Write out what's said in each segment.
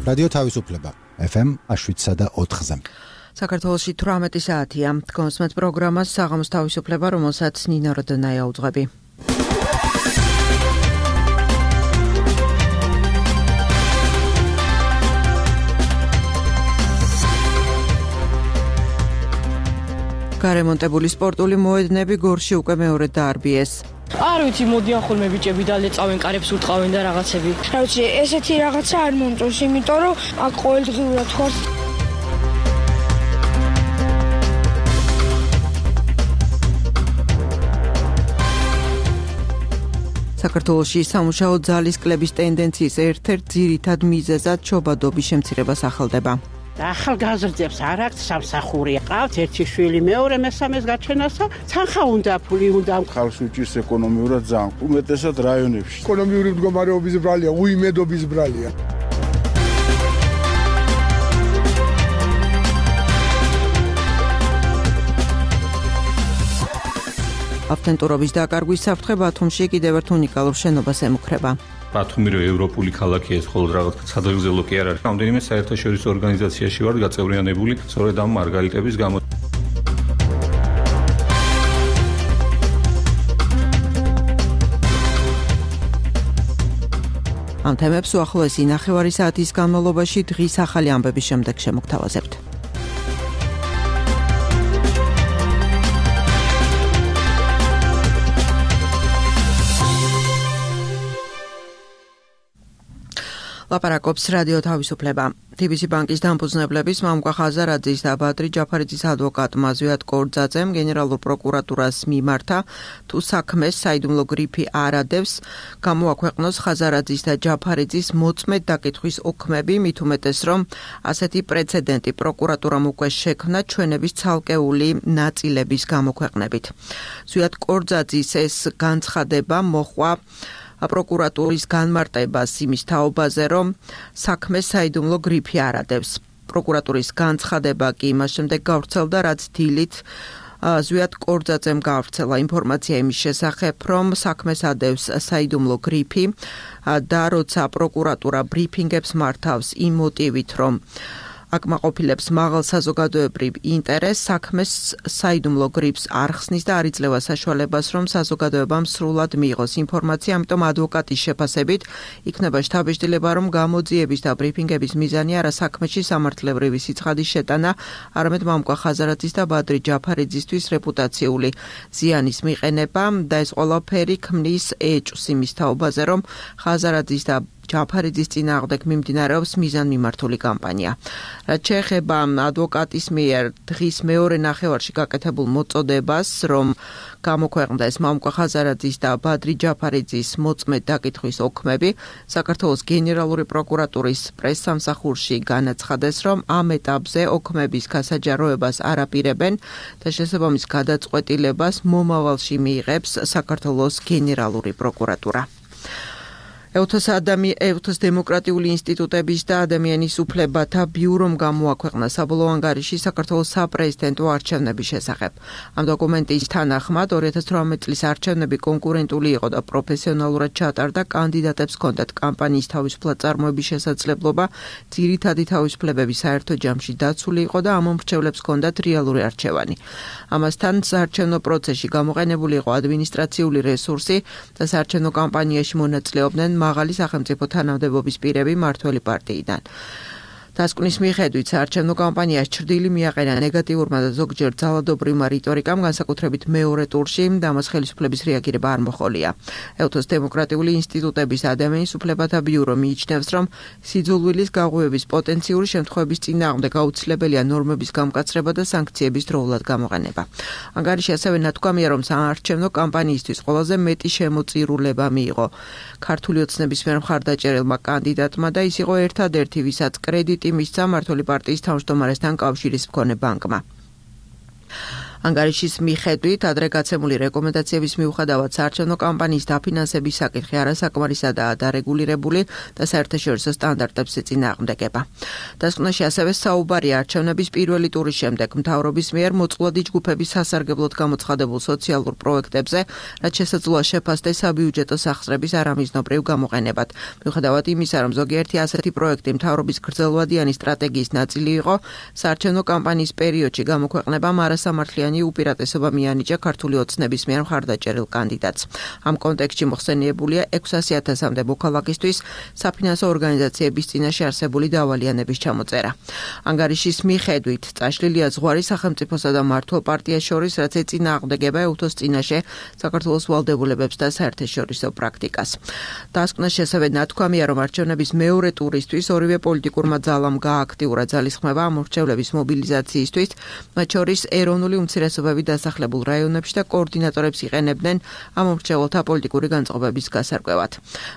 რადიო თავისუფლება FM 7.4-ზე. საქართველოში 18 საათია. კონსმეთ პროგრამას საღამოს თავისუფლება, რომელსაც ნინა როდონაია უძღვები. გარემონტებული სპორტული მოედნები გორში უკვე მეორედ დაარბიეს. არ ვიცი, მოდიან ხოლმე ბიჭები და ლეწავენ, კარებს უტყავენ და რაღაცები. რა ვიცი, ესეთი რაღაცა არ მომწონს, იმიტომ რომ აქ ყოველდღიურად ხარ. საქართველოში სამუშაო ძალის კლების ტენდენციის ერთ-ერთ ძირითად მიზეზად შობადობის შემცირება სახელდება. ახალგაზრდებს არ აქვს სამსახური. ყავთ ერთი შვილი, მეორე მესამეს გაჩენასა, თანხა უნდა, ფული უნდა. ხალხს უჭირს ეკონომიურად ძალიან, უმეტესად რაიონებში. ეკონომიური მდგომარეობის ბრალია, უიმედობის ბრალია. ავტენტურობის დაკარგვის საფრთხე ბათუმში კიდევ ერთ უნიკალურ შენობას ემუქრება. ბათუმი რო ევროპული ქალაქია, ეს მხოლოდ რაღაც სადღეგრძელო კი არ არის. რამდენიმე საერთაშორისო ორგანიზაციაში ვარ გაწევრიანებული, სწორედ ამ მარგალიტების გამო. ამ თემებს უახლოესი ნახევარი საათის განმავლობაში დღის ახალი ამბების შემდეგ შემოგთავაზებთ. ლაპარაკობს რადიო თავისუფლება. TBC ბანკის დამფუძნებლების მამუკა ხაზარაძის და ბადრი ჯაფარიძის ადვოკატმა ზვიად კორძაძემ გენერალურ პროკურატურას მიმართა, თუ საქმეს საიდუმლო გრიფი არ ადევს, გამოაქვეყნოს ხაზარაძის და ჯაფარიძის მოწმედ დაკითხვის ოქმები, მით უმეტეს რომ ასეთი პრეცედენტი პროკურატურამ უკვე შექმნა ჩვენების ცალკეული ნაწილების გამოქვეყნებით. ზვიად კორძაძის ეს განცხადება მოჰყვა პროკურატურის განმარტებას იმის თაობაზე, რომ საქმეს საიდუმლო გრიფი არ ადევს. პროკურატურის განცხადება კი იმას შემდეგ გავრცელდა, რაც დილით ზვიად კორძაძემ გავრცელა ინფორმაცია იმის შესახებ, რომ საქმეს ადევს საიდუმლო გრიფი და როცა პროკურატურა ბრიფინგებს მართავს იმ მოტივით, რომ აკმაყოფილებს მაღალ საზოგადოებრივ ინტერესს, საქმეს საიდუმლო გრიფს არ ხსნის და არ იძლევა საშუალებას, რომ საზოგადოებამ სრულად მიიღოს ინფორმაცია, ამიტომ ადვოკატის შეფასებით იქნება შთაბეჭდილება, რომ გამოძიების და ბრიფინგების მიზანი არა საქმეში სამართლებრივი სიცხადის შეტანა, არამედ მამუკა ხაზარაძის და ბადრი ჯაფარიძისთვის რეპუტაციული ზიანის მიყენება და ეს ყველაფერი ქმნის ეჭვს იმის თაობაზე, რომ ხაზარაძის და ჯაფარიძის წინააღმდეგ მიმდინარეობს მიზანმიმართული კამპანია. რაც შეეხება ადვოკატის მიერ დღის მეორე ნახევარში გაკეთებულ მოწოდებას, რომ გამოქვეყნდეს მამუკა ხაზარაძის და ბადრი ჯაფარიძის მოწმედ დაკითხვის ოქმები, საქართველოს გენერალური პროკურატურის პრესსამსახურში განაცხადეს, რომ ამ ეტაპზე ოქმების გასაჯაროებას არ აპირებენ და შესაბამის გადაწყვეტილებას მომავალში მიიღებს საქართველოს გენერალური პროკურატურა. ეუთოს დემოკრატიული ინსტიტუტების და ადამიანის უფლებათა ბიურომ გამოაქვეყნა საბოლოო ანგარიში საქართველოს საპრეზიდენტო არჩევნების შესახებ. ამ დოკუმენტის თანახმად 2018 წლის არჩევნები კონკურენტული იყო და პროფესიონალურად ჩატარდა, კანდიდატებს ჰქონდათ კამპანიის თავისუფლად წარმოების შესაძლებლობა, ძირითადი თავისუფლებები საერთო ჯამში დაცული იყო და ამ მომრჩევლებს ჰქონდათ რეალური არჩევანი. ამასთან საარჩევნო პროცესში გამოყენებული იყო ადმინისტრაციული რესურსი და საარჩევნო კამპანიაში მონაწილეობდნენ მაღალი სახელმწიფო თანამდებობის პირები მართველი პარტიიდან. დასკვნის მიხედვით საარჩევნო კამპანიას ჩრდილი მიაყენა ნეგატიურმა და ზოგჯერ ძალადობრივმა რიტორიკამ, განსაკუთრებით მეორე ტურში და ამას ხელისუფლების რეაგირება არ მოჰყოლია. ეუთოს დემოკრატიული ინსტიტუტების ადამიანის უფლებათა ბიურო მიიჩნევს, რომ სიძულვილის გაღვივების პოტენციური შემთხვევების წინააღმდეგ აუცილებელია ნორმების გამკაცრება და სანქციების დროულად გამოყენება. ანგარიში ასევე ნათქვამია, რომ საარჩევნო კამპანიისთვის ყველაზე მეტი შემოწირულება მიიღო ქართული ოცნების მიერ მხარდაჭერილმა კანდიდატმა და ის იყო ერთადერთი, ვისაც კრედიტი მისცა მმართველი პარტიის თავმჯდომარესთან კავშირის მქონე ბანკმა. ანგარიშის მიხედვით ადრე გაცემული რეკომენდაციების მიუხედავად საარჩევნო კამპანიის დაფინანსების საკითხი არასაკმარისადაა დარეგულირებული და საერთაშორისო სტანდარტებს ეწინააღმდეგება. დასკვნაში ასევე საუბარია არჩევნების პირველი ტურის შემდეგ მთავრობის მიერ მოწყვლადი ჯგუფების სასარგებლოდ გამოცხადებულ სოციალურ პროექტებზე, რაც შესაძლოა შეფასდეს საბიუჯეტო სახსრების არამიზნობრივ გამოყენებად. მიუხედავად იმისა, რომ ზოგიერთი ასეთი პროექტი მთავრობის გრძელვადიანი სტრატეგიის ნაწილი იყო, საარჩევნო კამპანიის პერიოდში გამოქვეყნებამ არასამართლიანი უპირატესობა მიანიჭა ქართული ოცნების მიერ მხარდაჭერილ კანდიდატს. ამ კონტექსტში მოხსენიებულია 600,000-მდე მოქალაქისთვის საფინანსო ორგანიზაციების წინაშე არსებული დავალიანების ჩამოწერა. ანგარიშის მიხედვით წაშლილია ზღვარი სახელმწიფოსა და მმართველ პარტიას შორის, რაც ეწინააღმდეგება ეუთოს წინაშე საქართველოს ვალდებულებებს და საერთაშორისო პრაქტიკას. დასკვნაში ასევე ნათქვამია, რომ არჩევნების მეორე ტურისთვის ორივე პოლიტიკურმა ძალამ გააქტიურა ძალისხმევა ამ მრჩევლების მობილიზაციისთვის, მათ შორის ეროვნული უმცირესობები დასახლებულ რაიონებში და კოორდინატორებს იყენებდნენ ამ მრჩეველთა პოლიტიკური განწყობების გასარკვევად.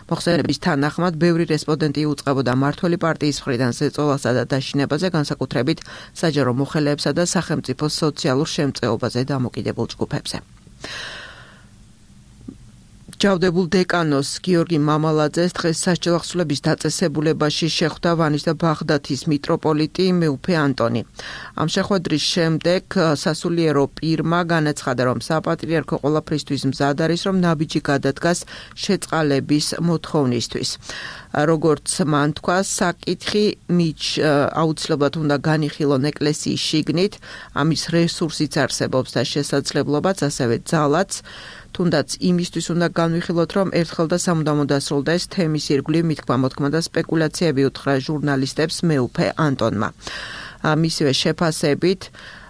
მოხსენების თანახმად, ბევრი რესპონდენტი უწყებოდა მმართველი პარტიის მხრიდან ზეწოლასა და დაშინებაზე, განსაკუთრებით საჯარო მოხელეებსა და სახელმწიფოს სოციალურ შემწეობაზე დამოკიდებულ ჯგუფებზე. ჯავდებულ დეკანოს გიორგი მამალაძეს დღეს სასჯელახსულების დაწესებულებაში შეხვდა ვანის და ბაღდათის მიტროპოლიტი მეუფე ანტონი. ამ შეხვედრის შემდეგ სასულიერო პირმა განაცხადა, რომ საპატრიარქო ყველაფრისთვის მზად არის, რომ ნაბიჯი გადადგას შეწყალების მოთხოვნისთვის. როგორც მან თქვა, საკითხი აუცილებლად უნდა განიხილონ ეკლესიის შიგნით, ამის რესურსიც არსებობს და შესაძლებლობაც, ასევე ძალაც, თუნდაც იმისთვის უნდა განვიხილოთ, რომ ერთხელ და სამუდამოდ დასრულდეს თემის ირგვლივ მithქმა-მოთქმა და სპეკულაციები უთხრა ჟურნალისტებს მეუფე ანტონმა. მისივე შეფასებით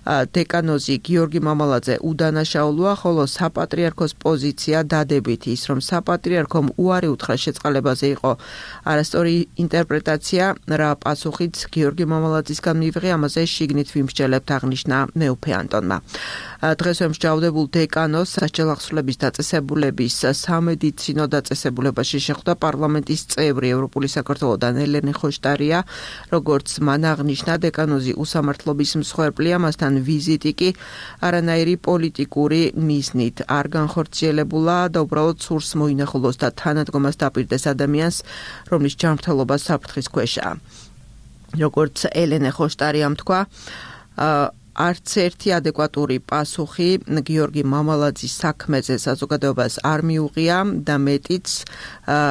დეკანოზი გიორგი მამალაძე უდანაშაულოა, ხოლო საპატრიარქოს პოზიცია დადებითი ის, რომ საპატრიარქომ უარი უთხრა შეწყალებაზე იყო არასწორი ინტერპრეტაცია, რა პასუხიც გიორგი მამალაძისგან მივიღე, ამაზე შიგნით ვიმსჯელებთ, აღნიშნა მეუფე ანტონმა. დღესვე მსჯავრდებულ დეკანოს სასჯელახსულების დაწესებულების სამედიცინო დაწესებულებაში შეხვდა პარლამენტის წევრი ევროპული საქართველოდან ელენე ხოშტარია, როგორც მან აღნიშნა, დეკანოზი უსამართლობის მსხვერპლია, მასთან ვიზიტი კი არანაირი პოლიტიკური მიზნით არ განხორციელებულა და უბრალოდ სურს მოინახულოს და თანადგომას დაპირდეს ადამიანს, რომლის ჯანმრთელობა საფრთხის ქვეშაა. როგორც ელენე ხოშტარიამ თქვა, არც ერთი ადეკვატური პასუხი გიორგი მამალაძის საქმეზე საზოგადოებას არ მიუღია და მეტიც,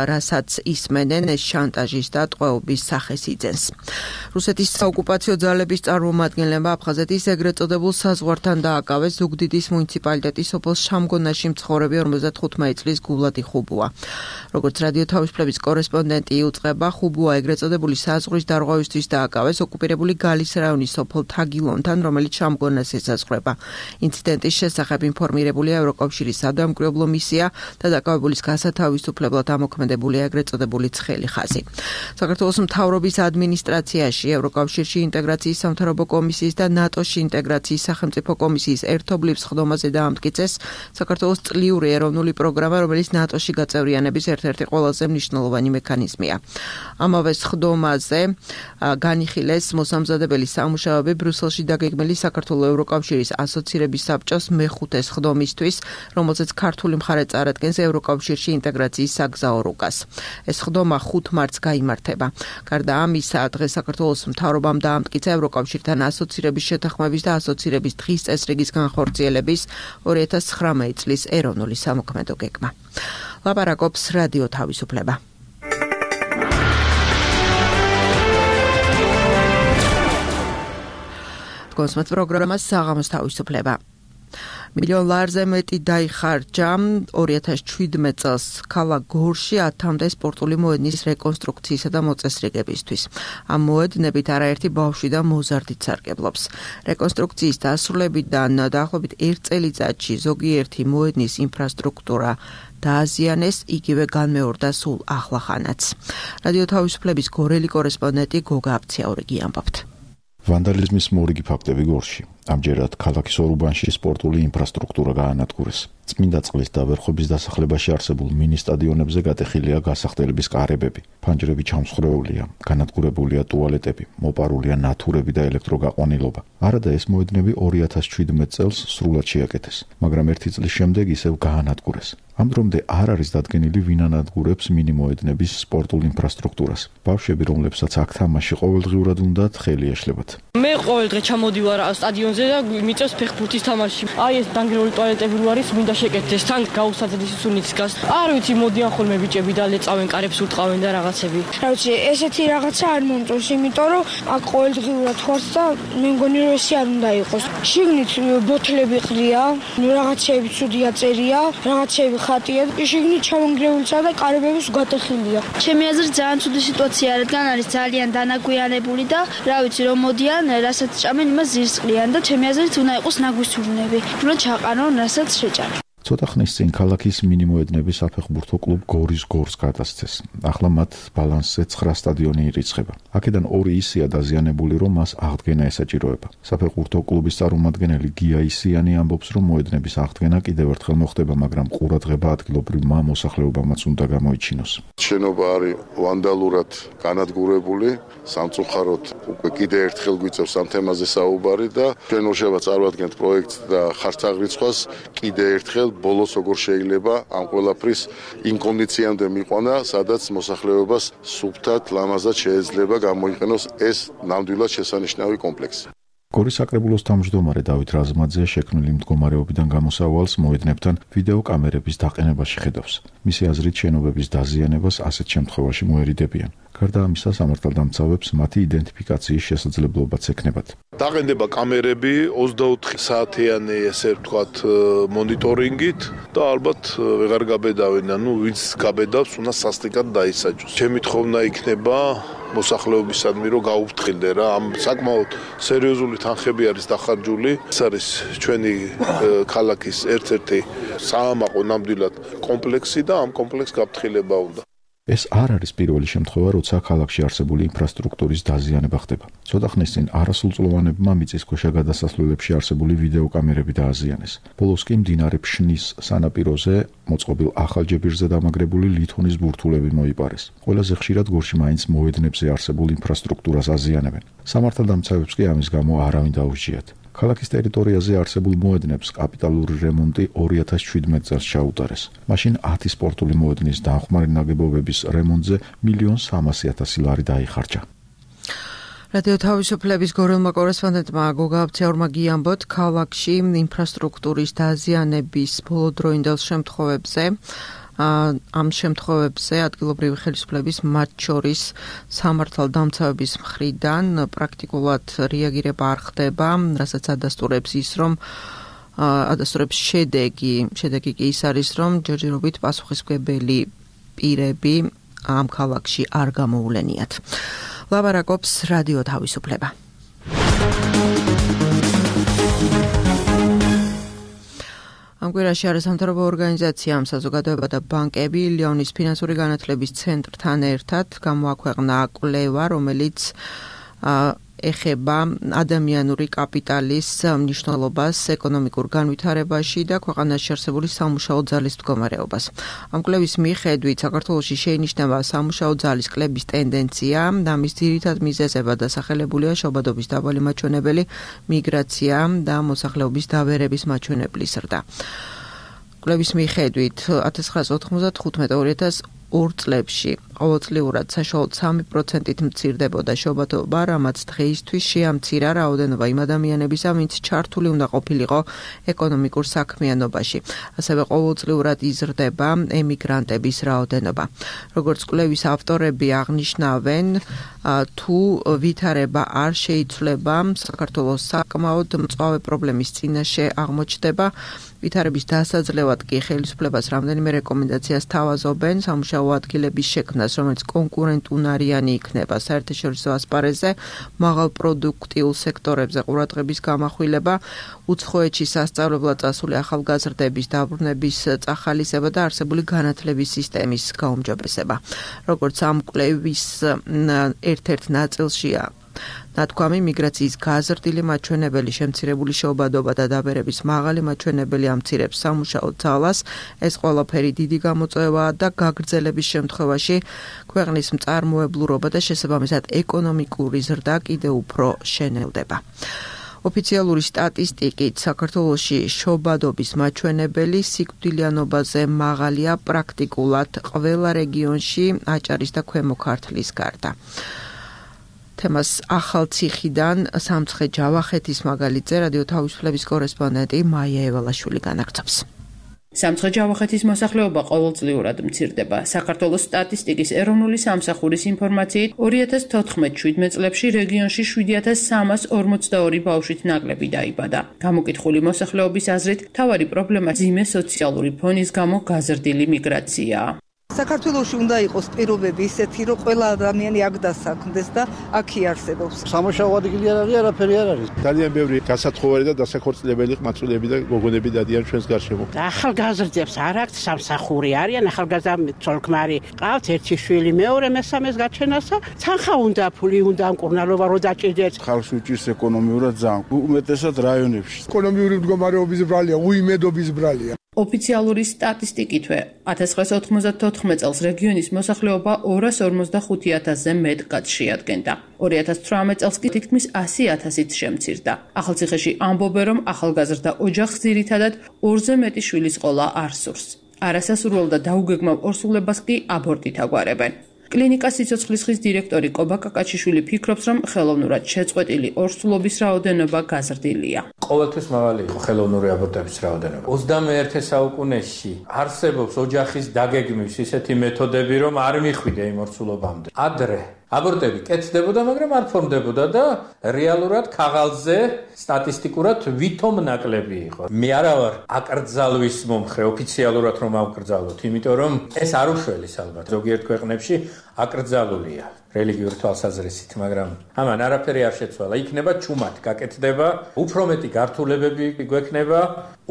რასაც ისმენენ, ეს შანტაჟის და ტყვეობის სახეს იძენს. რუსეთის საოკუპაციო ძალების წარმომადგენლებმა აფხაზეთის ეგრეთ წოდებულ საზღვართან დააკავეს ზუგდიდის მუნიციპალიტეტის სოფელ შამგონაში მცხოვრები 55 წლის გულადი ხუბუა. როგორც რადიო თავისუფლების კორესპონდენტი იუწყება, ხუბუა ეგრეთ წოდებული საზღვრის დარღვევისთვის დააკავეს ოკუპირებული გალის რაიონის სოფელ თაგილონთან, რომელიც შამგონას ესაზღვრება. ინციდენტის შესახებ ინფორმირებულია ევროკავშირის სადამკვირვებლო მისია და დაკავებულის გასათავისუფლებლად ამოქმედებულია ეგრეთ წოდებული ცხელი ხაზი. საქართველოს მთავრობის ადმინისტრაციაში ევროკავშირში ინტეგრაციის სამთავრობო კომისიის და ნატოში ინტეგრაციის სახელმწიფო კომისიის ერთობლივ სხდომაზე დაამტკიცეს საქართველოს წლიური ეროვნული პროგრამა, რომელიც ნატოში გაწევრიანების ერთ-ერთი ყველაზე მნიშვნელოვანი მექანიზმია. ამავე სხდომაზე განიხილეს მოსამზადებელი სამუშაოები ბრიუსელში დაგეგმილი საქართველოს ევროკავშირის ასოცირების საბჭოს მეხუთე სხდომისთვის, რომელზეც ქართული მხარე წარადგენს ევროკავშირში ინტეგრაციის საგზაო რუკას. ეს სხდომა 5 მარტს გაიმართება. გარდა ამისა, დღეს საქართველოს მთავრობამ დაამტკიცა ევროკავშირთან ასოცირების შეთანხმების და ასოცირების დღის წესრიგის განხორციელების 2019 წლის ეროვნული სამოქმედო გეგმა. ლაპარაკობს რადიო თავისუფლება. კონსმეთ პროგრამას საღამოს თავისუფლება. მილიონ ლარზე მეტი დაიხარჯა 2017 წელს ქალაქ გორში 10-მდე სპორტული მოედნის რეკონსტრუქციისა და მოწესრიგებისთვის. ამ მოედნებით არაერთი ბავშვი და მოზარდიც სარგებლობს. რეკონსტრუქციის დასრულებიდან დაახლოებით 1 წელიწადში ზოგიერთი მოედნის ინფრასტრუქტურა დააზიანეს, იგივე განმეორდა სულ ახლახანაც. რადიო თავისუფლების გორელი კორესპონდენტი გოგა აფციაურიგი ამბობთ. ვანდალიზმის მორიგი ფაქტები გორში. ამჯერად ქალაქის ორ უბანში სპორტული ინფრასტრუქტურა გაანადგურეს. წმინდა წყლის დავერხვების დასახლებაში არსებულ მინი სტადიონებზე გატეხილია გასახდელების კარებები, ფანჯრები ჩამსხვრეულია, განადგურებულია ტუალეტები, მოპარულია ნათურები და ელექტროგაყვანილობა. არადა ეს მოედნები 2017 წელს სრულად შეაკეთეს, მაგრამ 1 წლის შემდეგ ისევ გაანადგურეს. ამ დრომდე არ არის დადგენილი ვინ ანადგურებს მინი მოედნების სპორტულ ინფრასტრუქტურას. ბავშვები, რომლებსაც აქ თამაში ყოველდღიურად უნდათ, ხელი ეშლებათ. მე ყოველდღე ჩამოდივარ სტადიონზე და მიწევს ფეხბურთის თამაში. აი ეს დანგრეული ტუალეტები რო არის, მინდა შეკეთდეს, თან გაუსაძლის სუნიც გას. არ ვიცი, მოდიან ხოლმე ბიჭები და ლეწავენ, კარებს უტყავენ და რაღაცები. რა ვიცი, ესეთი რაღაცა არ მომწონს, იმიტომ რომ აქ ყოველდღიურად ხარ და მე მგონი რომ ესე არ უნდა იყოს. შიგნით ბოთლები ყრია, რაღაცეები ცუდია წერია, რაღაცეები ხატია, შიგნით ჩამონგრეულისა და კარებების გატეხილია. ჩემი აზრით ძალიან ცუდი სიტუაცია, რადგან არის ძალიან დანაგვიანებული და რა ვიცი რომ მოდიან, რასაც ჭამენ, იმას ზირს ყრიან და ჩემი აზრით უნდა იყოს ნაგვისურნები. უნდა ჩაყარონ, რასაც შეჭამენ. ცოტა ხნის წინ ქალაქის მინი მოედნები საფეხბურთო კლუბ გორის გორს გადასცეს. ახლა მათ ბალანსზე 9 სტადიონი ირიცხება. აქედან 2 ისეა დაზიანებული, რომ მას აღდგენა ესაჭიროება. საფეხბურთო კლუბის წარმომადგენელი გია ისიანი ამბობს, რომ მოედნების აღდგენა კიდევ ერთხელ მოხდება, მაგრამ ყურადღება ადგილობრივმა მოსახლეობამაც უნდა გამოიჩინოს. შენობა არის ვანდალურად განადგურებული, სამწუხაროდ უკვე კიდევ ერთხელ გვიწევს ამ თემაზე საუბარი და ჩვენ ორშაბათს წარვადგენთ პროექტს და ხარც აღრიცხვას კიდევ ერთხელ ბოლოს როგორ შეიძლება ამ ყველაფრის იმ კონდიციამდე მიყვანა, სადაც მოსახლეობას სუფთად, ლამაზად შეეძლება გამოიყენოს ეს ნამდვილად შესანიშნავი კომპლექსი. გორის საკრებულოს თავმჯდომარე დავით რაზმაძე შექმნილი მდგომარეობიდან გამოსავალს მოედნებთან ვიდეო კამერების დაყენებაში ხედავს. მისი აზრით, შენობების დაზიანებას ასეთ შემთხვევაში მოერიდებიან. გარდა ამისა, სამართალდამცავებს მათი იდენტიფიკაციის შესაძლებლობაც ექნებათ. დაყენდება კამერები 24 საათიანი, ესე ვთქვათ, მონიტორინგით და ალბათ ვეღარ გაბედავენ, ანუ ვინც გაბედავს, უნდა სასტიკად დაისაჯოს. ჩემი თხოვნა იქნება მოსახლეობისადმი, რომ გაუფრთხილდე რა, ამ საკმაოდ სერიოზული თანხები არის დახარჯული. ეს არის ჩვენი ქალაქის ერთ-ერთი საამაყო ნამდვილად კომპლექსი და ამ კომპლექსს გაფრთხილება უნდა. ეს არ არის პირველი შემთხვევა, როცა ქალაქში არსებული ინფრასტრუქტურის დაზიანება ხდება. ცოტა ხნის წინ არასრულწლოვანებმა მიწისქვეშა გადასასვლელებში არსებული ვიდეო კამერები დააზიანეს. ბოლოს კი მდინარე ფშნის სანაპიროზე მოწყობილ ახალ ჯებირზე დამაგრებული ლითონის ბურთულები მოიპარეს. ყველაზე ხშირად გორში მაინც მოედნებზე არსებულ ინფრასტრუქტურას აზიანებენ. სამართალდამცავებს კი ამის გამო არავინ დაუსჯიათ. ქალაქის ტერიტორიაზე არსებულ მოედნებს კაპიტალური რემონტი 2017 წელს ჩაუტარეს. მაშინ 10 სპორტული მოედნის დამხმარე ნაგებობების რემონტზე 1.3 ლარი დაიხარჯა. რადიო თავისუფლების გორელმა კორესპონდენტმა გოგა აბცეურმა გიამბოთ, ქალაქში ინფრასტრუქტურის დაზიანების ბოლოდროინდელ შემთხვევებზე ამ შემთხვევებზე ადგილობრივი ხელისუფლების მათ შორის სამართალდამცავების მხრიდან პრაქტიკულად რეაგირება არ ხდება, რასაც ადასტურებს ის, რომ ადასტურებს შედეგი კი ის არის, რომ ჯერჯერობით პასუხისმგებელი პირები ამ ქალაქში არ გამოულენიათ. ლაბარაკობს რადიო თავისუფლება. ამ კვირაში არასამთავრობო ორგანიზაციამ საზოგადოება და ბანკები ლიონის ფინანსური განათლების ცენტრთან ერთად გამოაქვეყნა კვლევა, რომელიც ეხება ადამიანური კაპიტალის მნიშვნელობას ეკონომიკურ განვითარებაში და ქვეყანაში არსებული სამუშაო ძალის მდგომარეობას. ამ კვლევის მიხედვით საქართველოში შეინიშნება სამუშაო ძალის კლების ტენდენცია და მის ძირითად მიზეზებად დასახელებულია შობადობის დაბალი მაჩვენებელი, მიგრაცია და მოსახლეობის დაბერების მაჩვენებლის ზრდა. კვლევის მიხედვით 1995-2002 წლებში ყოველწლიურად საშუალოდ 3%-ით მცირდებოდა შობადობა, რამაც დღეისთვის შეამცირა რაოდენობა იმ ადამიანებისა, ვინც ჩართული უნდა ყოფილიყო ეკონომიკურ საქმიანობაში. ასევე ყოველწლიურად იზრდება ემიგრანტების რაოდენობა. როგორც კვლევის ავტორები აღნიშნავენ, თუ ვითარება არ შეიცვლება, საქართველოს საკმაოდ მწვავე პრობლემის წინაშე აღმოჩნდება. ვითარების დასაძლევად კი ხელისუფლებას რამდენიმე რეკომენდაციას თავაზობენ სამუშაო ადგილების შექმნას, რომელიც კონკურენტუნარიანი იქნება საერთაშორისო ასპარეზზე, მაღალ პროდუქტიულ სექტორებზე ყურადღების გამახვილება, უცხოეთში სასწავლებლად წასული ახალგაზრდების დაბრუნების წახალისება და არსებული განათლების სისტემის გაუმჯობესება. როგორც ამ კვლევის ერთ-ერთ ნაწილშია ნათქვამი მიგრაციის გაზრდილი მაჩვენებელი, შემცირებული შეობადობა და დაბერების მაღალი მაჩვენებელი ამცირებს სამუშაო ძალას. ეს ყველაფერი დიდი გამოწვევაა და გაგრძელების შემთხვევაში ქვეყნის მწარმოებლურობა და შესაბამისად ეკონომიკური ზრდა კიდევ უფრო შენელდება. ოფიციალური სტატისტიკით საქართველოში შობადობის მაჩვენებელი სიკვდილიანობაზე მაღალია პრაქტიკულად ყველა რეგიონში აჭარის და ქვემო ქართლის გარდა. თემას ახალციხიდან სამცხე ჯავახეთის მაგალითზე რადიო თავისუფლების კორესპონდენტი მაია ევალაშვილი განაგრძობს. სამცხე ჯავახეთის მოსახლეობა ყოველწლიურად მცირდება. საქართველოს სტატისტიკის ეროვნული სამსახურის ინფორმაციით 2014-17 წლებში რეგიონში 7342 ბავშვით ნაკლები დაიბადა. გამოკითხული მოსახლეობის აზრით, მთავარი პრობლემა ძიმე სოციალური ფონის გამო გაზრდილი მიგრაციაა. საქართველოში უნდა იყოს პირობები ისეთი, რომ ყველა ადამიანი აქ დასაქმდეს და აქ იარსებობს. სამუშაო ადგილი არ არის, არაფერი არ არის. ძალიან ბევრი გასათხოვარი და დასაქორწინებელი ყმაწვილები და გოგონები დადიან ჩვენს გარშემო. ახალგაზრდებს არ აქვს სამსახური, არიან ახალგაზრდა ცოლ-ქმარი, ყავთ ერთი შვილი, მეორე, მესამეს გაჩენასა, თანხა უნდა, ფული უნდა, მკურნალობა რო დაჭირდეთ. ხალხს უჭირს ეკონომიურად ძალიან. უმეტესად რაიონებში. ეკონომიური მდგომარეობის ბრალია, უიმედობის ბრალია. ოფიციალური სტატისტიკითვე 1994 წელს რეგიონის მოსახლეობა 245,000-ზე მეტ კაცს შეადგენდა. 2018 წელს კი თითქმის 100,000-ით შემცირდა. ახალციხეში ამბობენ, რომ ახალგაზრდა ოჯახს ძირითადად 2-ზე მეტი შვილის ყოლა არ სურს. არასასურველ და დაუგეგმავ ორსულებას კი აბორტით აგვარებენ. კლინიკა სიცოცხლის ხის დირექტორი კობა კაკაჩიშვილი ფიქრობს, რომ ხელოვნურად შეწყვეტილი ორსულობის რაოდენობა გაზრდილია. ყოველთვის მაღალი იყო ხელოვნური აბორტების რაოდენობა. 21 საუკუნეში არსებობს ოჯახის დაგეგმვის ისეთი მეთოდები, რომ არ მიხვიდე იმ ორსულობამდე. ადრე აბორტები კეთდებოდა, მაგრამ არ ფორმდებოდა და რეალურად ქაღალდზე სტატისტიკურად ვითომ ნაკლები იყო. მე არა ვარ აკრძალვის მომხრე, ოფიციალურად რომ ავკრძალოთ, იმიტომ რომ ეს არ უშველის ალბათ. ზოგიერთ ქვეყნებში აკრძალულია რელიგიური თვალსაზრისით, მაგრამ ამან არაფერი არ შეცვალა. იქნება ჩუმად გაკეთდება, უფრო მეტი გართულებები გვექნება,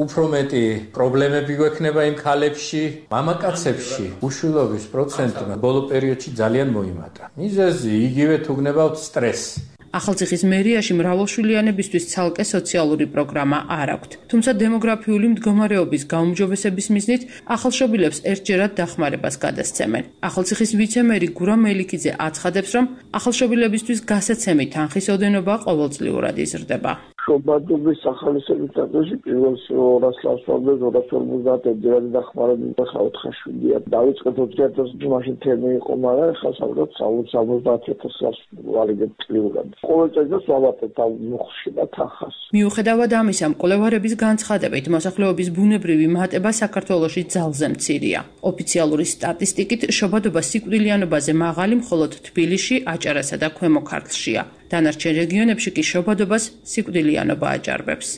უფრო მეტი პრობლემები გვექნება იმ ქალებში, მამაკაცებში. უშვილობის პროცენტმა ბოლო პერიოდში ძალიან მოიმატა. მიზეზი იგივე თუ გნებავთ სტრესი. ახალციხის მერიაში მრავალშვილიანებისთვის ცალკე სოციალური პროგრამა არ აქვთ. თუმცა დემოგრაფიული მდგომარეობის გაუმჯობესების მიზნით ახალშობილებს ერთჯერად დახმარებას გადასცემენ. ახალციხის ვიცემერი გურამ მელიქიძე აცხადებს, რომ ახალშობილებისთვის გასაცემი თანხის ოდენობა ყოველწლიურად იზრდება. შობადობის ახალისების დაწესში პირველ 200 ლასვამდე 250 ერთჯერადი დახმარება ხა 4 შვილია. დავიწყეთ 2000 მაშინ თემი იყო, მაგრამ ხა საუბრობთ 70,000 ლას ვარიგებ წლიურად. ყოველ წელს ვავატებთ ამ მოხში და თანხას. მიუხედავად ამისა, მკვლევარების განცხადებით, მოსახლეობის ბუნებრივი მატება საქართველოში ძალზე მცირეა. ოფიციალური სტატისტიკით შობადობა სიკვდილიანობაზე მაღალი მხოლოდ თბილისში, აჭარასა და ქვემო ქართლშია. დანარჩენ რეგიონებში კი შობადობას სიკვდილიანობა აჭარბებს.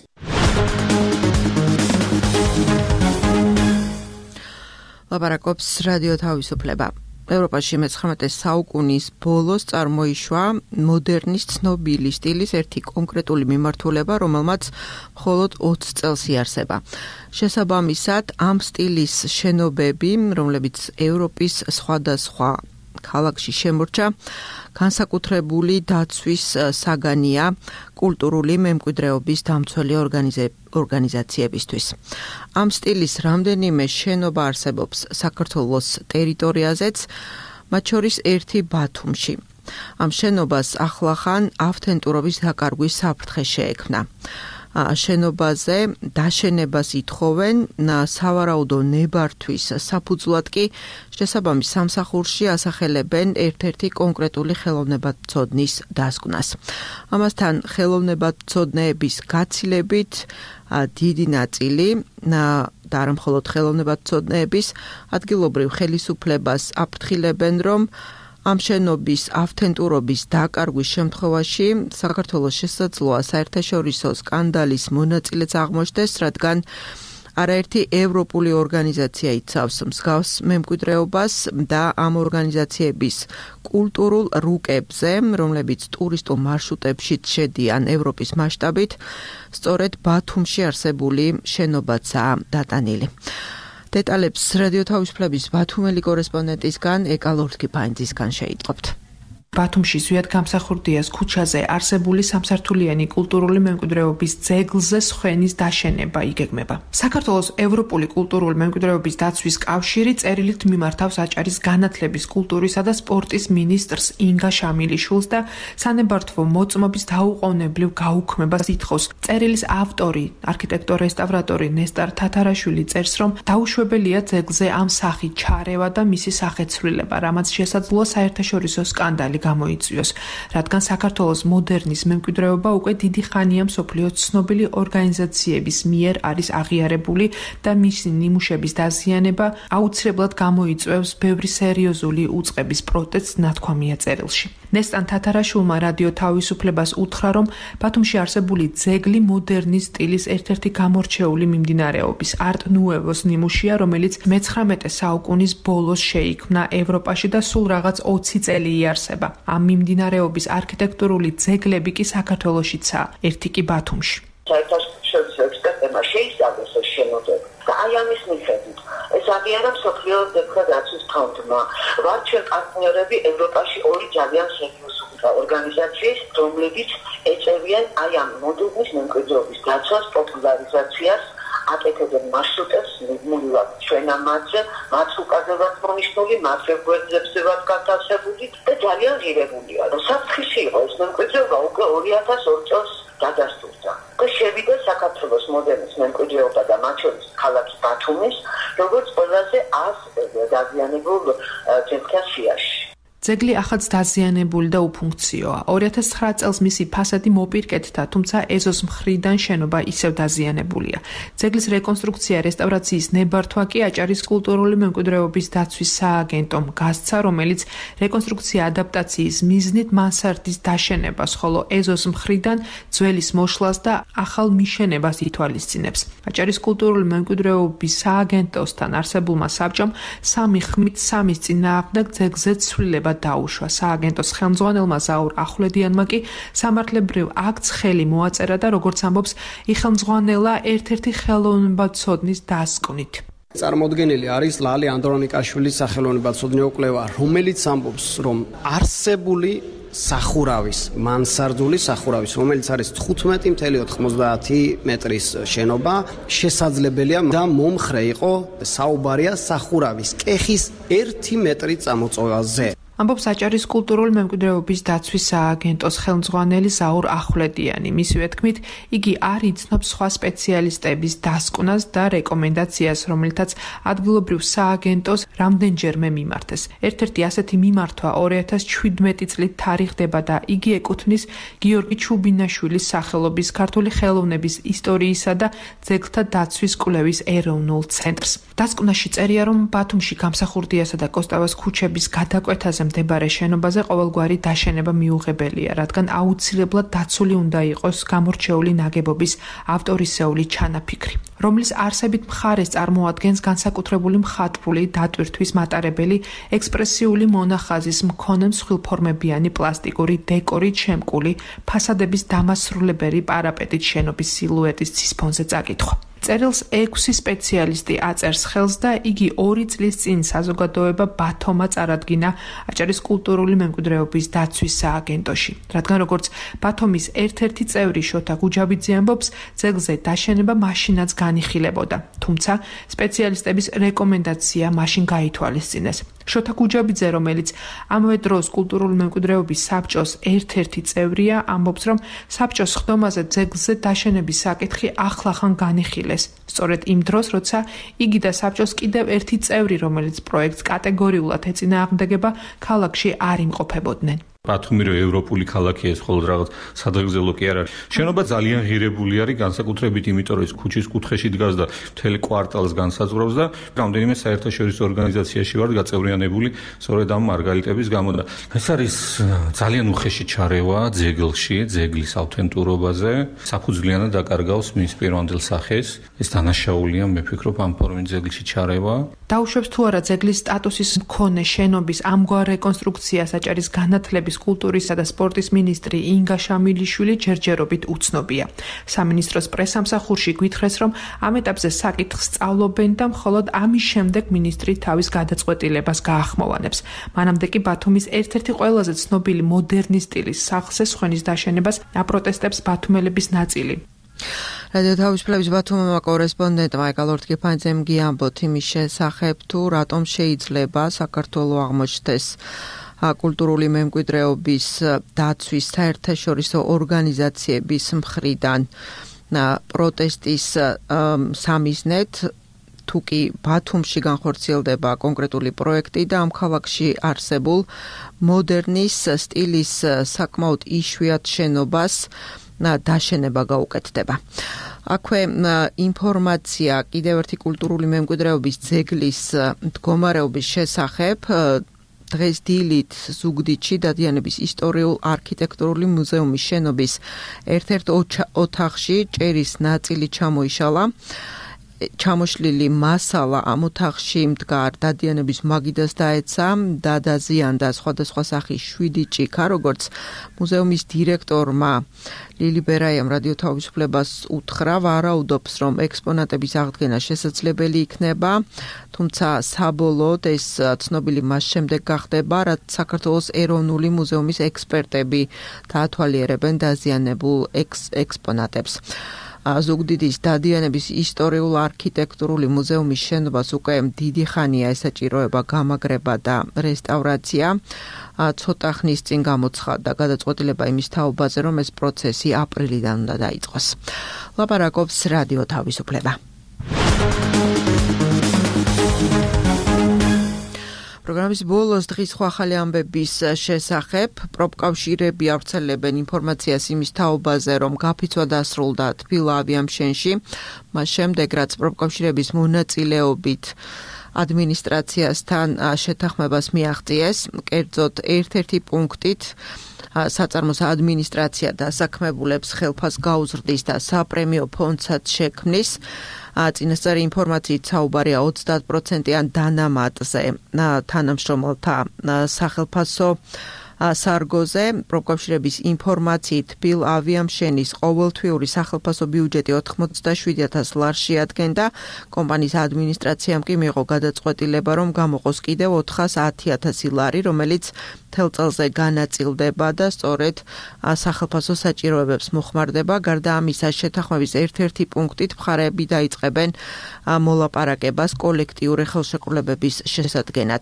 ლაპარაკობს რადიო თავისუფლება. ევროპაში მე-19 საუკუნის ბოლოს წარმოიშვა მოდერნის ცნობილი სტილის ერთი კონკრეტული მიმართულება, რომელმაც მხოლოდ 20 წელს იარსება. შესაბამისად, ამ სტილის შენობები, რომლებიც ევროპის სხვადასხვა ქალაქში შემორჩა, განსაკუთრებული დაცვის საგანია კულტურული მემკვიდრეობის დამცველი ორგანიზაციებისთვის. ამ სტილის რამდენიმე შენობა არსებობს საქართველოს ტერიტორიაზეც, მათ შორის ერთი ბათუმში. ამ შენობას ახლახან ავთენტურობის დაკარგვის საფრთხე შეექმნა. შენობაზე დაშენებას ითხოვენ სავარაუდო ნებართვის საფუძვლად კი შესაბამის სამსახურში ასახელებენ ერთ-ერთი კონკრეტული ხელოვნებაცოდნის დასკვნას. ამასთან ხელოვნებაცოდნეების გაცილებით დიდი ნაწილი და არა მხოლოდ ხელოვნებაცოდნეების ადგილობრივ ხელისუფლებას აფრთხილებენ, რომ ამ შენობის ავთენტურობის დაკარგვის შემთხვევაში საქართველოს შესაძლოა საერთაშორისო სკანდალის მონაწილეც აღმოჩნდეს, რადგან არაერთი ევროპული ორგანიზაცია იცავს მსგავს მემკვიდრეობას და ამ ორგანიზაციების კულტურულ რუკებზე, რომლებიც ტურისტულ მარშრუტებშიც შედიან ევროპის მასშტაბით, სწორედ ბათუმში არსებული შენობაცაა დატანილი. დეტალებს რადიო თავისუფლების ბათუმელი კორესპონდენტისგან ეკა ლორთქიფაინძისგან შეიტყობთ. ბათუმში ზვიად გამსახურდიას ქუჩაზე არსებული სამსართულიანი კულტურული მემკვიდრეობის ძეგლზე სხვენის დაშენება იგეგმება. საქართველოს ევროპული კულტურული მემკვიდრეობის დაცვის კავშირი წერილით მიმართავს აჭარის განათლების, კულტურისა და სპორტის მინისტრს ინგა შამილიშვილს და სანებართვო მოწმობის დაუყოვნებლივ გაუქმებას ითხოვს. წერილის ავტორი, არქიტექტორ-რესტავრატორი ნესტარ თათარაშვილი წერს, რომ დაუშვებელია ძეგლზე ამ სახით ჩარევა და მისი სახეცვლილება, რამაც შესაძლოა საერთაშორისო სკანდალი გამოიწვიოს, რადგან საქართველოს მოდერნის მემკვიდრეობა უკვე დიდი ხანია მსოფლიოს ცნობილი ორგანიზაციების მიერ არის აღიარებული და მისი ნიმუშების დაზიანება აუცილებლად გამოიწვევს ბევრი სერიოზული უწყების პროტესტს, ნათქვამია წერილში. ნესტან თათარაშვილმა რადიო თავისუფლებას უთხრა, რომ ბათუმში არსებული ძეგლი მოდერნის სტილის ერთ-ერთი გამორჩეული მიმდინარეობის არტ ნუევოს ნიმუშია, რომელიც მე-19 საუკუნის ბოლოს შეიქმნა ევროპაში და სულ რაღაც 20 წელი იარსება. ამ მიმდინარეობის არქიტექტურული ძეგლები კი საქართველოშიცაა, ერთი კი ბათუმში. საერთაშორისო ექსპერტებმა შეისწავლეს ეს შენობები და აი ამის მიხედვით ეს აღიარა მსოფლიო ძეგლთა დაცვის ფონდმა. ვართ ჩვენ პარტნიორები ევროპაში ორი ძალიან სერიოზული ორგანიზაციის, რომლებიც ეწევიან აი ამ მოდერნის მემკვიდრეობის დაცვას, პოპულარიზაციას, აკეთებენ მარშრუტებს, მუდმივად ჩვენ ამაზე, მათ უკაზევად მონიშნული, მათ რეგულაციებსებად განთავსებული და ძალიან ღირებულია, რომ საფრთხეში იყო ეს მემკვიდრეობა უკვე 2002 წელს დადასტურდა და შევიდა საქართველოს მოდერნის მემკვიდრეობა და მათ შორის ქალაქი ბათუმის, როგორც ყველაზე დაზიანებულ ძეგლთა სიაში. ძეგლი ახაც დაზიანებული და უფუნქციოა. 2009 წელს მისი ფასადი მოპირკეთდა, თუმცა ეზოს მხრიდან შენობა ისევ დაზიანებულია. ძეგლის რეკონსტრუქცია, რესტავრაციის ნებართვა კი აჭარის კულტურული მემკვიდრეობის დაცვის სააგენტომ გასცა, რომელიც რეკონსტრუქცია ადაპტაციის მიზნით მანსარდის დაშენებას, ხოლო ეზოს მხრიდან ძველის მოშლას და ახალ მიშენებას ითვალისწინებს. აჭარის კულტურული მემკვიდრეობის სააგენტოსთან არსებულმა საბჭომ სამი ხმით სამის წინააღმდეგ ძეგლზე ცვლილება დაუშვა. სააგენტოს ხელმძღვანელმა ზაურ ახვლედიანმა კი სამართლებრივ აქტს ხელი მოაწერა და როგორც ამბობს, იხელმძღვანელა ერთ-ერთი ხელოვნებაცოდნის დასკვნით. წარმოდგენილი არის ლალე ანდრონიკაშვილის სახელოვნებაცოდნეო კვლევა, რომელიც ამბობს, რომ არსებული სახურავის, მანსარდული სახურავის, რომელიც არის 15.90 მეტრის შენობა, შესაძლებელია და მომხრე იყო საუბარია სახურავის კეხის 1 მეტრი წამოწევაზე. ამბობს აჭარის კულტურული მემკვიდრეობის დაცვის სააგენტოს ხელმძღვანელი ზაურ ახვლედიანი. მისივე თქმით, იგი არ იცნობს სხვა სპეციალისტების დასკვნას და რეკომენდაციას, რომელთაც ადგილობრივ სააგენტოს რამდენჯერმე მიმართეს. ერთ-ერთი ასეთი მიმართვა 2017 წლით თარიღდება და იგი ეკუთვნის გიორგი ჩუბინაშვილის სახელობის ქართული ხელოვნების ისტორიისა და ძეგლთა დაცვის კვლევის ეროვნულ ცენტრს. დასკვნაში წერია, რომ ბათუმში გამსახურდიასა და კოსტავას ქუჩების გადაკვეთაზე მდებარე შენობაზე ყოველგვარი დაშენება მიუღებელია, რადგან აუცილებლად დაცული უნდა იყოს გამორჩეული ნაგებობის ავტორისეული ჩანაფიქრი, რომლის არსებით მხარეს წარმოადგენს განსაკუთრებული მხატვრული დატვირთვის მატარებელი ექსპრესიული მონახაზის მქონე მსხვილფორმებიანი პლასტიკური დეკორით შემკული ფასადების დამასრულებელი პარაპეტით შენობის სილუეტის ცისფონზე წაკითხვა. წერილს 6 სპეციალისტი აწერს ხელს და იგი 2 წლის წინ საზოგადოება ბათომა წარადგინა აჭარის კულტურული მემკვიდრეობის დაცვის სააგენტოში. რადგან როგორც ბათომის ერთ-ერთი წევრი შოთა გუჯაბიძე ამბობს, ძეგლზე დაშენება მაშინაც განიხილებოდა, თუმცა სპეციალისტების რეკომენდაცია მაშინ გაითვალისწინეს. შოთა გუჯაბიძე, რომელიც ამავე დროს კულტურული მემკვიდრეობის საბჭოს ერთ-ერთი წევრია, ამბობს, რომ საბჭოს ხდომაზე ძეგლზე დაშენების საკითხი ახლახან განიხილეს. სწორედ იმ დროს, როცა იგი და საბჭოს კიდევ ერთი წევრი, რომელიც პროექტს კატეგორიულად ეწინააღმდეგება, ქალაქში არ იმყოფებოდნენ. ბათუმი რო ევროპული ქალაქია, ეს მხოლოდ რაღაც სადღეგრძელო კი არ არის. შენობა ძალიან ღირებული არის, განსაკუთრებით იმიტომ, რომ ეს ქუჩის კუთხეში დგას და მთელი კვარტალს განსაზღვრავს და რამდენიმე საერთაშორისო ორგანიზაციაში ვარ გაწევრიანებული სწორედ ამ მარგალიტების გამო და ეს არის ძალიან უხეში ჩარევა ძეგლში, ძეგლის ავთენტურობაზე, საფუძვლიანად დაკარგავს მის პირვანდელ სახეს. ეს დანაშაულია, მე ვფიქრობ, ამ ფორმით ძეგლში ჩარევა. დაუშვებს თუ არა ძეგლის სტატუსის მქონე შენობის ამგვარ რეკონსტრუქციას აჭარის განათლების, კულტურისა და სპორტის მინისტრი ინგა შამილიშვილი ჯერჯერობით უცნობია. სამინისტროს პრესამსახურში გვითხრეს, რომ ამ ეტაპზე საკითხს სწავლობენ და მხოლოდ ამის შემდეგ მინისტრი თავის გადაწყვეტილებას გაახმოვანებს. მანამდე კი ბათუმის ერთ-ერთი ყველაზე ცნობილი მოდერნის სტილის სახლზე სხვენის დაშენებას აპროტესტებს ბათუმელების ნაწილი. რადიო თავისუფლების ბათუმმა კორესპონდენტმა ეკალორთგიფანძემ გიამბოთ იმის შესახებ, თუ რატომ შეიძლება საქართველოს აღმოჩნდეს კულტურული მემკვიდრეობის დაცვის საერთაშორისო ორგანიზაციების მხრიდან პროტესტის სამიზნედ, თუ კი ბათუმში განხორციელდება კონკრეტული პროექტი და ამ ქალაქში არსებულ მოდერნის სტილის საკმაოდ იშვიათ შენობას დაშენება გაუკეთდება. აქვე ინფორმაცია კიდევ ერთი კულტურული მემკვიდრეობის ძეგლის მდგომარეობის შესახებ დღეს დილით ზუგდიდში დადიანების ისტორიულ-არქიტექტურული მუზეუმის შენობის ერთ-ერთ ოთახში ჭერის ნაწილი ჩამოიშალა. ჩამოშლილი მასალა ამ ოთახში მდგარ დადიანების მაგიდას დაეცა და დაზიანდა სხვადასხვა სახის 7 ჭიქა, როგორც მუზეუმის დირექტორმა ლილი ბერაიამ რადიო თავისუფლებას უთხრა, ვარაუდობს, რომ ექსპონატების აღდგენა შესაძლებელი იქნება, თუმცა საბოლოოდ ეს ცნობილი მას შემდეგ გახდება, რაც საქართველოს ეროვნული მუზეუმის ექსპერტები დაათვალიერებენ დაზიანებულ ექსპონატებს. ზუგდიდის დადიანების ისტორიულ-არქიტექტურული მუზეუმის შენობას უკვე დიდი ხანია ესაჭიროება გამაგრება და რესტავრაცია. ცოტა ხნის წინ გამოცხადდა გადაწყვეტილება იმის თაობაზე, რომ ეს პროცესი აპრილიდან უნდა დაიწყოს. ლაპარაკობს რადიო თავისუფლება. პროგრამის ბოლოს დღის სხვა ახალი ამბების შესახებ პროფკავშირები ავრცელებენ ინფორმაციას იმის თაობაზე, რომ გაფიცვა დასრულდა თბილ ავიამშენში, მას შემდეგ რაც პროფკავშირების მონაწილეობით ადმინისტრაციასთან შეთანხმებას მიაღწიეს, კერძოდ ერთ-ერთი პუნქტით საწარმოს ადმინისტრაცია დასაქმებულებს ხელფას გაუზრდის და საპრემიო ფონდსაც შექმნის. წინასწარი ინფორმაციით საუბარია 30%-იან დანამატზე თანამშრომელთა სახელფასო სარგოზე. პროფკავშირების ინფორმაციით თბილ ავიამშენის ყოველთვიური სახელფასო ბიუჯეტი 87,000 ლარს შეადგენდა. კომპანიის ადმინისტრაციამ კი მიიღო გადაწყვეტილება, რომ გამოყოს კიდევ 410,000 ლარი, რომელიც მთელ წელზე განაწილდება და სწორედ სახელფასო საჭიროებებს მოხმარდება. გარდა ამისა, შეთანხმების ერთ-ერთი პუნქტით მხარეები დაიწყებენ მოლაპარაკებას კოლექტიური ხელშეკრულებების შესადგენად.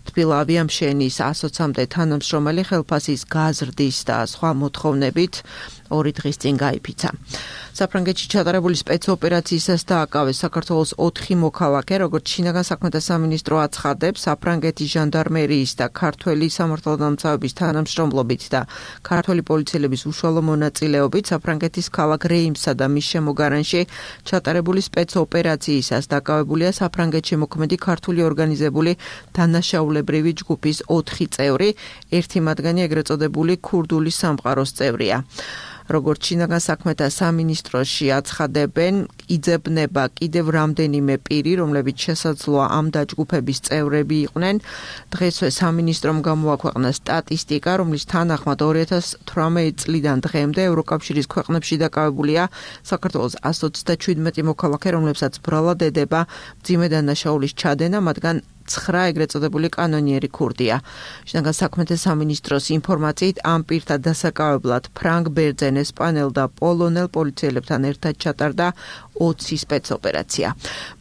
თბილ ავიამშენის 120-მდე თანამშრომელი ხელფასის გაზრდის და სხვა მოთხოვნებით 2 დღის წინ გაიფიცა. საფრანგეთში ჩატარებული სპეცოპერაციისას დააკავეს საქართველოს 4 მოქალაქე, როგორც შინაგან საქმეთა სამინისტრო აცხადებს, საფრანგეთის ჟანდარმერიის და ქართველი სამართალდამცავების თანამშრომლობით და ქართველი პოლიციელების უშუალო მონაწილეობით საფრანგეთის ქალაქ რეიმსა და მის შემოგარენში ჩატარებული სპეცოპერაციისას დაკავებულია საფრანგეთში მოქმედი ქართული ორგანიზებული დანაშაულებრივი ჯგუფის 4 წევრი, ერთი მათგანი ეგრეთ წოდებული ქურდული სამყაროს წევრია. როგორც შინაგან საქმეთა სამინისტროში აცხადებენ, იძებნება კიდევ რამდენიმე პირი, რომლებიც შესაძლოა ამ დაჯგუფების წევრები იყვნენ. დღესვე სამინისტრომ გამოაქვეყნა სტატისტიკა, რომლის თანახმად 2018 წლიდან დღემდე ევროკავშირის ქვეყნებში დაკავებულია საქართველოს 127 მოქალაქე, რომლებსაც ბრალად ედება მძიმე დანაშაულის ჩადენა, მათგან 9 ეგრეთ წოდებული კანონიერი ქურდია. შინაგან საქმეთა სამინისტროს ინფორმაციით ამ პირთა დასაკავებლად ფრანგ ბერძენ, ესპანელ და პოლონელ პოლიციელებთან ერთად ჩატარდა 20 სპეცოპერაცია.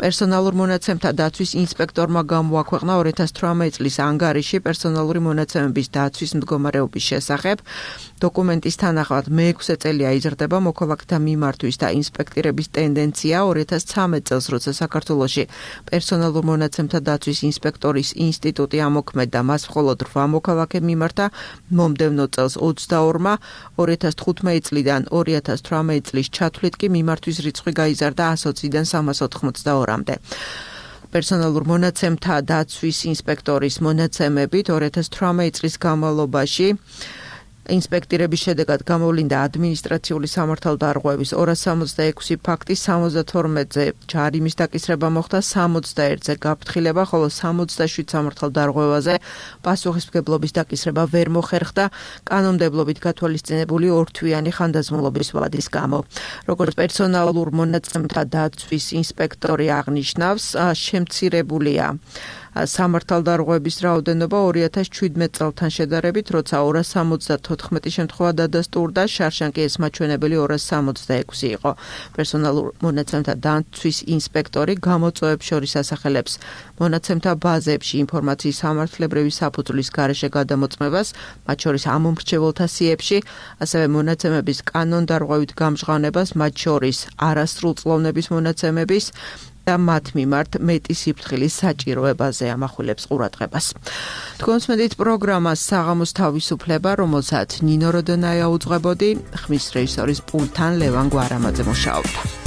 პერსონალურ მონაცემთა დაცვის ინსპექტორმა გამოაქვეყნა 2018 წლის ანგარიში პერსონალური მონაცემების დაცვის მდგომარეობის შესახებ. დოკუმენტის თანახმად მე-6 წელია იზრდება მოქალაქეთა მიმართვის და ინსპექტირების ტენდენცია 2013 წელს, როცა საქართველოში პერსონალურ მონაცემთა დაცვის ინსპექტორის ინსტიტუტი ამოქმედა, მას მხოლოდ 8 მოქალაქე მიმართა, მომდევნო წელს 22-მა, 2015 წლიდან 2018 წლის ჩათვლით კი მიმართვის რიცხვი გაიზარდა 120-დან 382-მდე. პერსონალურ მონაცემთა დაცვის ინსპექტორის მონაცემებით 2018 წლის განმავლობაში ინსპექტირების შედეგად გამოვლინდა ადმინისტრაციული სამართალდარღვევის 266 ფაქტი, 72-ზე ჯარიმის დაკისრება მოხდა, 61-ზე გაფრთხილება, ხოლო 67 სამართალდარღვევაზე პასუხისმგებლობის დაკისრება ვერ მოხერხდა კანონმდებლობით გათვალისწინებული ორთვიანი ხანდაზმულობის ვადის გამო. როგორც პერსონალურ მონაცემთა დაცვის ინსპექტორი აღნიშნავს, შემცირებულია სამართალდარღვევების რაოდენობა 2017 წელთან შედარებით, როცა 274 შემთხვევა დადასტურდა, შარშან კი ეს მაჩვენებელი 266 იყო. პერსონალურ მონაცემთა დაცვის ინსპექტორი გამოწვევებს შორის ასახელებს მონაცემთა ბაზებში ინფორმაციის სამართლებრივი საფუძვლის გარეშე გადამოწმებას, მათ შორის ამომრჩეველთა სიებში, ასევე მონაცემების კანონდარღვევით გამჟღავნებას, მათ შორის არასრულწლოვნების მონაცემების და მათ მიმართ მეტი სიფრთხილის საჭიროებაზე ამახვილებს ყურადღებას. თქვენს მედით პროგრამას საღამოს თავისუფლება, რომელსაც ნინო როდონაია უძღვებოდი, ხმის რეჟისორის პულტთან ლევან გვარამაძე მუშაობდა.